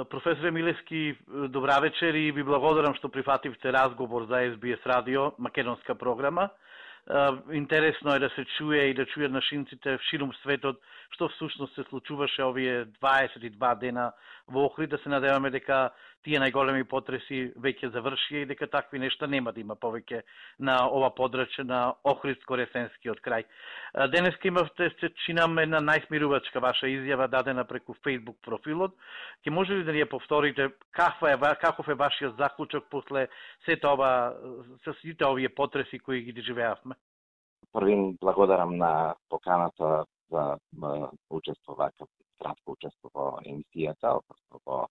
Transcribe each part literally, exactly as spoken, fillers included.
Професоре Милевски, добра вечер и ви благодарам што прифативте разговор за Ес Би Ес радио, македонска програма. Интересно е да се чуе и да чујат нашинците широм светот што всушност се случуваше овие дваесет и два дена во Охрид, да се надеваме дека тие најголеми потреси веќе завршија и дека такви нешта нема да има повеќе на ова подрачје на Охридско-Ресенскиот крај. Денеска имавте, се чинам, една најсмирувачка ваша изјава дадена преку Facebook профилот. Ќе може ли да ни ја повторите каква е, каков е вашиот заклучок после сето ова, со сите овие потреси кои ги доживеавме? Првин благодарам на поканата за учество, вака кратко учество во емисијата, во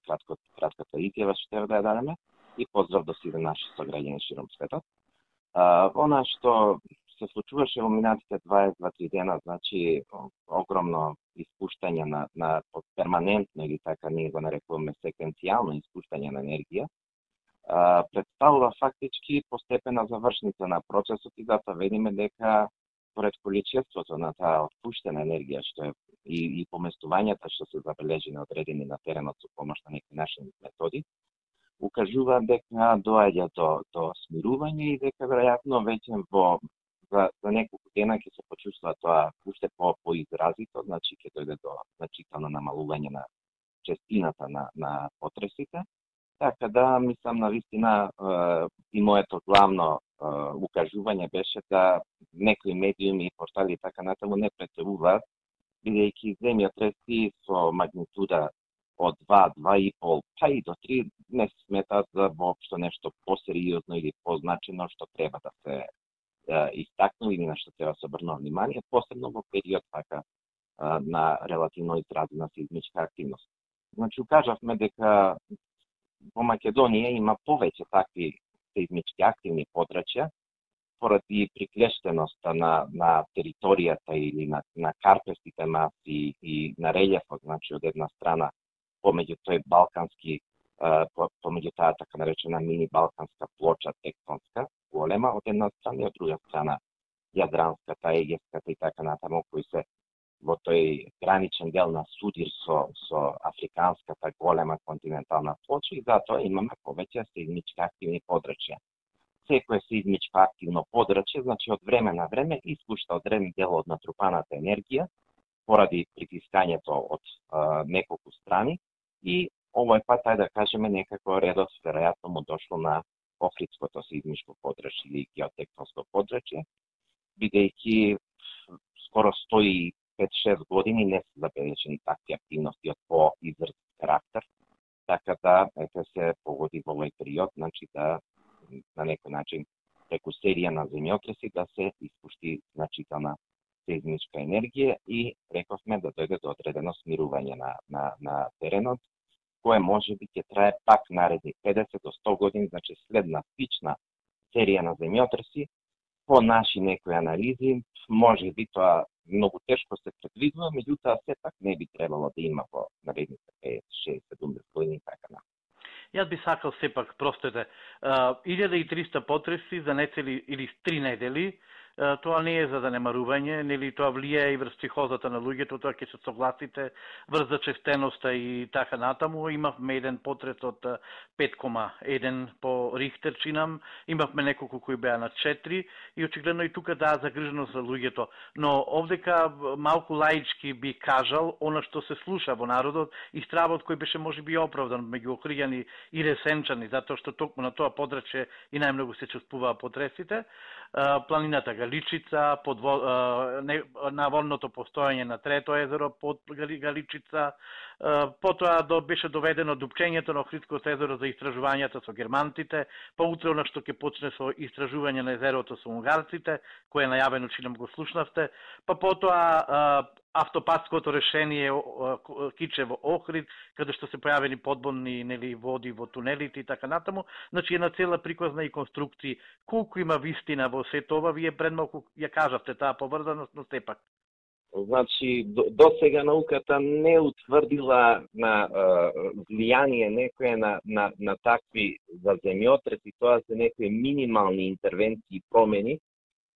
кратко, кратката изјава што треба да ја дадеме, и поздрав до сите наши сограѓани широм светот. Она што се случуваше во минатите дваесет и два дена, значи огромно испуштање на, на перманентно, или така ние го нарекуваме секвенцијално испуштање на енергија, представува фактички постепена завршница на процесот и затоа видиме дека поред количеството на таа отпуштена енергија што е и, и поместувањата што се забележени одредени на теренот со помош на некои наши методи, укажува дека доаѓа до, до смирување и дека веројатно веќе во за, за неколку дена ќе се почувствува тоа уште по поизразито, значи ќе дојде до значително намалување на честината на, на потресите. Така да, мислам, на вистина и моето главно укажување беше да некои медиуми и портали и така натаму не претеруваат, бидејќи земјотреси со магнитуда од два, два и пол, па и до три не се сметаат за воопшто нешто посериозно или позначено што треба да се истакнува или на што треба да се обрнува внимание, посебно во период така на релативно изразена сеизмичка активност. Значи, укажавме дека во Македонија има повеќе такви сеизмички активни подрачја, поради приклештеноста на, на територијата или на, на карпестите маси и на релјефот, значи од една страна помеѓу тој балкански, помеѓу таа така наречена мини балканска плоча тектонска, голема од една страна и од друга страна јадранската, егеската и така натаму, кои се во тој граничен дел на судир со, со африканската голема континентална плоча и затоа имаме повеќе сеизмички активни подрачја. Секое сеизмичко активно подрачје, значи од време на време испушта одреден дел од натрупаната енергија поради притискањето од а, неколку страни и овој пат, ајде да кажеме, некако редот веројатно му дошло на Охридското сеизмичко подрачје или геотектонско подрачје, бидејќи скоро сто и пет-шест години не се забележени такви активности од поизразит карактер, така да ете се погоди во овој период, значи да на некој начин преку серија на земјотреси да се испушти значителна сеизмичка енергија и рековме да дојде до одредено смирување на, на, на теренот, кое може би ќе трае пак наредни педесет до сто години, значи следна слична серија на земјотреси. По наши некои анализи, може би тоа многу тешко се предвидува, меѓутоа сепак не би требало да има во наредните петдесет, шеесет, седумдесет години така на. Јас би сакал сепак, простете, илјада и триста потреси за нецели или три недели, тоа не е занемарување, нели тоа влијае и врз психозата на луѓето, тоа ќе се согласите, врз зачестеноста и така натаму. Имавме еден потрес од пет кома еден по Рихтер, чинам, имавме неколку кои беа на четири и очигледно и тука даа загриженост за луѓето. Но овдека малку лаички би кажал, она што се слуша во народот и стравот кој беше можеби оправдан меѓу охријани и ресенчани, затоа што токму на тоа подрачје и најмногу се чувствуваа потресите. Планината Галичица, подво... наводното постојање на трето езеро под Галичица, потоа до, беше доведено дупчењето на Охридското езеро за истражувањата со германтите, па утре она што ќе почне со истражување на езерото со унгарците, кое е најавено, чинам го слушнавте, па потоа автопатското решение Кичево Охрид, каде што се појавени подбонни нели води во тунелите и така натаму. Значи една цела приказна и конструкција. Колку има вистина во сето ова, вие пред малку ја кажавте таа поврзаност, но сепак. Значи, до, до сега науката не утврдила на влијание некое на, на, на такви за земјотреси, тоа се некои минимални интервенции и промени,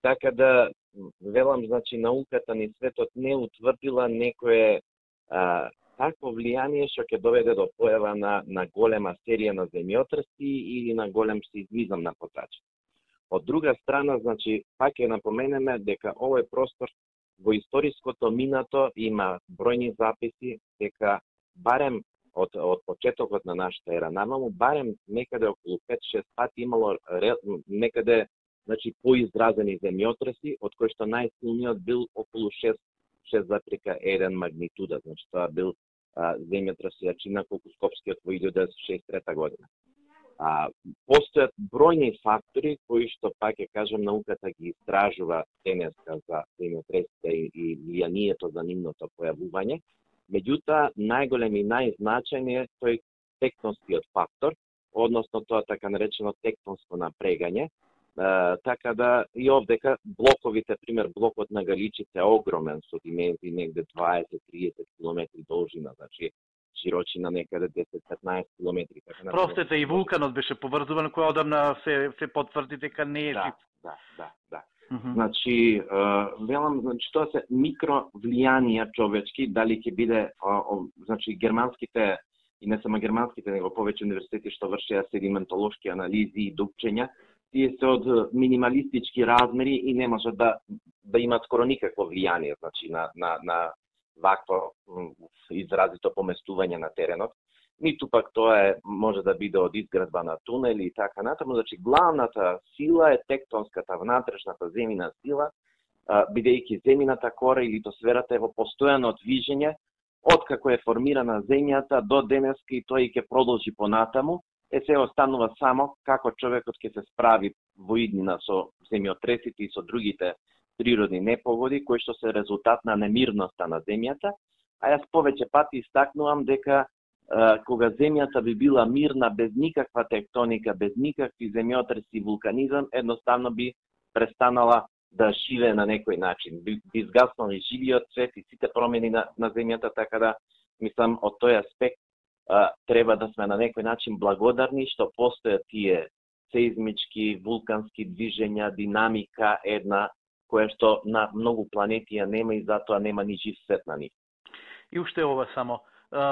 така да велам, значи, науката ни светот не утврдила некое а, такво влијание што ќе доведе до појава на, на голема серија на земјотреси или на голем сеизмизам на потачи. Од друга страна, значи, пак ќе напоменеме дека овој простор во историското минато има бројни записи дека барем од, од почетокот на нашата ера намаму, барем некаде околу пет-шест пати имало некаде, значи, поизразени земјотреси, од кои што најсилниот бил околу шест зарез еден магнитуда. Значи, тоа бил а, земјотрес јачина колку Скопскиот во илјада деветстотини шеесет и трета година. А, постојат бројни фактори кои што, пак ќе кажам, науката ги истражува денеска за земјотресите и, и влијанието за нивното појавување. Меѓутоа, најголем и најзначајен е тој тектонскиот фактор, односно тоа така наречено тектонско напрегање. Uh, така да и овдека блоковите, пример блокот на Галичица е огромен со димензии негде дваесет-триесет километри должина, значи широчина некаде десет-петнаесет километри. Така Простете и вулканот беше поврзуван, кој одамна се се потврди дека не е да, жив. Да, да, да. Uh -huh. Значи, uh, велам, значи тоа се микро влијанија човечки, дали ќе биде, uh, uh, значи германските и не само германските, него повеќе универзитети што вршеа седиментолошки анализи и дупчења, тие се од минималистички размери и не може да да имат скоро никакво влијание, значи на на на вакво изразито поместување на теренот. Ниту пак тоа е може да биде од изградба на тунели и така натаму, значи главната сила е тектонската внатрешната земјина сила, бидејќи земјината кора или литосферата е во постојано движење од како е формирана земјата до денеска и тој ќе продолжи понатаму. Е се останува само како човекот ќе се справи во иднина со земјотресите и со другите природни непогоди, кои што се резултат на немирноста на земјата. А јас повеќе пати истакнувам дека е, кога земјата би била мирна, без никаква тектоника, без никакви земјотреси и вулканизам, едноставно би престанала да живее на некој начин. Би, би изгаснали живиот свет и сите промени на, на земјата, така да, мислам, од тој аспект Uh, треба да сме на некој начин благодарни што постојат тие сеизмички, вулкански движења, динамика една, која што на многу планети ја нема и затоа нема ни жив свет на нив. И уште ова само.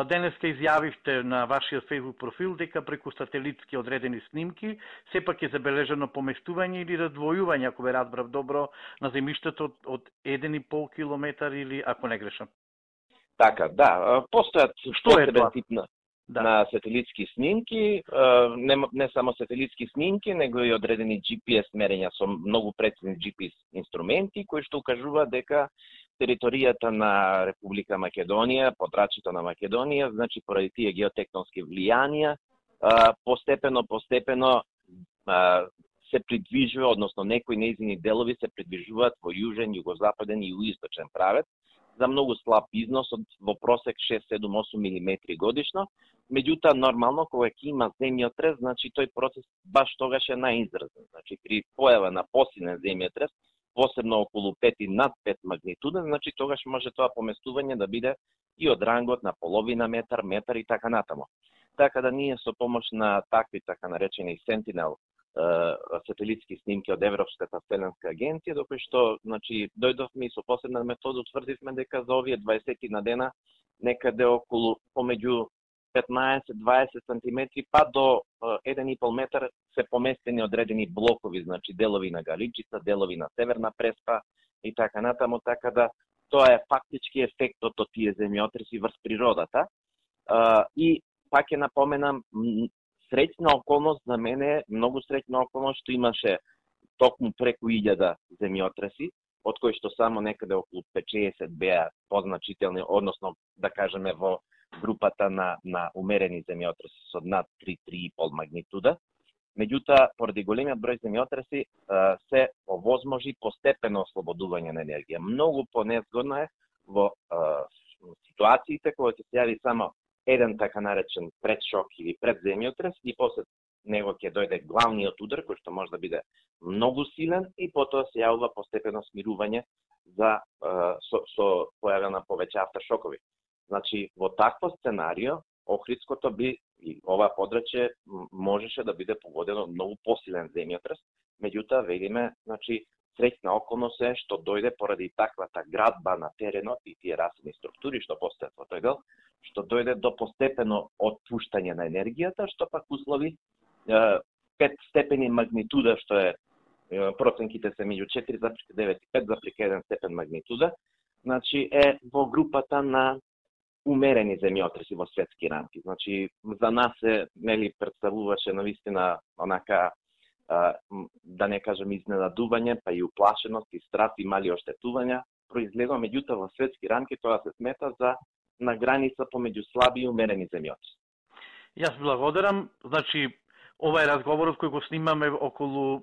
Денеска изјавивте на вашиот Facebook профил дека преку сателитски одредени снимки сепак е забележано поместување или раздвојување, ако ве разбрав добро, на земјиштето од, од еден и пол километар или, ако не грешам. Така, да, постојат што е тоа? Тип на, да. на сателитски снимки, не, не само сателитски снимки, него и одредени Джи Пи Ес мерења со многу прецизни Джи Пи Ес инструменти, кои што укажуваат дека територијата на Република Македонија, подрачјето на Македонија, значи поради тие геотектонски влијанија, постепено, постепено се придвижува, односно некои нејзини делови се придвижуваат во јужен, југозападен и југоисточен правец, за многу слаб износ од во просек шест, седум, осум милиметри годишно. Меѓутоа, нормално, кога ќе има земјотрес, значи тој процес баш тогаш е најизразен. Значи, при појава на посилен земјотрес, посебно околу пет и над пет магнитуда, значи тогаш може тоа поместување да биде и од рангот на половина метар, метар и така натаму. Така да ние со помош на такви така наречени Sentinel сателитски снимки од Европската вселенска агенција, до кои што, значи, дојдовме и со посебна метода утврдивме дека за овие дваесет на дена некаде околу помеѓу петнаесет до дваесет сантиметри па до еден и пол метар се поместени одредени блокови, значи делови на Галичица, делови на Северна Преспа и така натаму, така да тоа е фактички ефектот од тие земјотреси врз природата. И пак ќе напоменам, среќна околност за мене, многу среќна околност што имаше токму преку илјада земјотреси, од кои што само некаде околу петдесет беа позначителни, односно да кажеме во групата на на умерени земјотреси со над три до три и пол магнитуда. Меѓутоа, поради големиот број земјотреси се овозможи постепено ослободување на енергија. Многу понезгодно е во ситуациите кога ќе се јави само еден така наречен предшок или предземјотрес и после него ќе дојде главниот удар, кој што може да биде многу силен и потоа се јавува постепено смирување за со, со појава на повеќе авторшокови. Значи, во такво сценарио, Охридското би и ова подрачје можеше да биде погодено од многу посилен земјотрес, меѓутоа, видиме, значи, среќна околност е што дојде поради таквата градба на теренот и тие расни структури што постојат во тој дел, што дојде до постепено отпуштање на енергијата, што пак услови пет степени магнитуда, што е проценките се меѓу четири запирка девет и пет запирка еден степен магнитуда, значи е во групата на умерени земјотреси во светски рамки. Значи за нас е, нели, представуваше навистина онака, да не кажам изненадување, па и уплашеност и страх и мали оштетувања произлегува, меѓутоа во светски рамки тоа се смета за на граница помеѓу слаби и умерени земјотреси. Јас благодарам. Значи, ова е разговорот кој го снимаме околу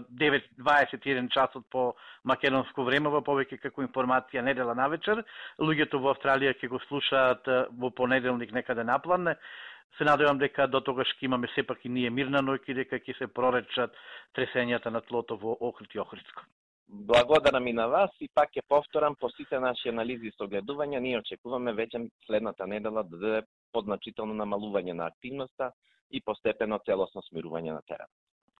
девет дваесет и еден часот по македонско време, во повеќе како информација недела навечер. Луѓето во Австралија ќе го слушаат во понеделник некаде наплан. Се надевам дека до тогаш ќе имаме сепак и ние мирна ноќ и дека ќе се проречат тресењата на тлото во Охрид и Охридско. Благодарам и на вас и пак ќе повторам, по сите наши анализи и согледувања, ние очекуваме веќе следната недела да даде подзначително намалување на активноста и постепено целосно смирување на теренот.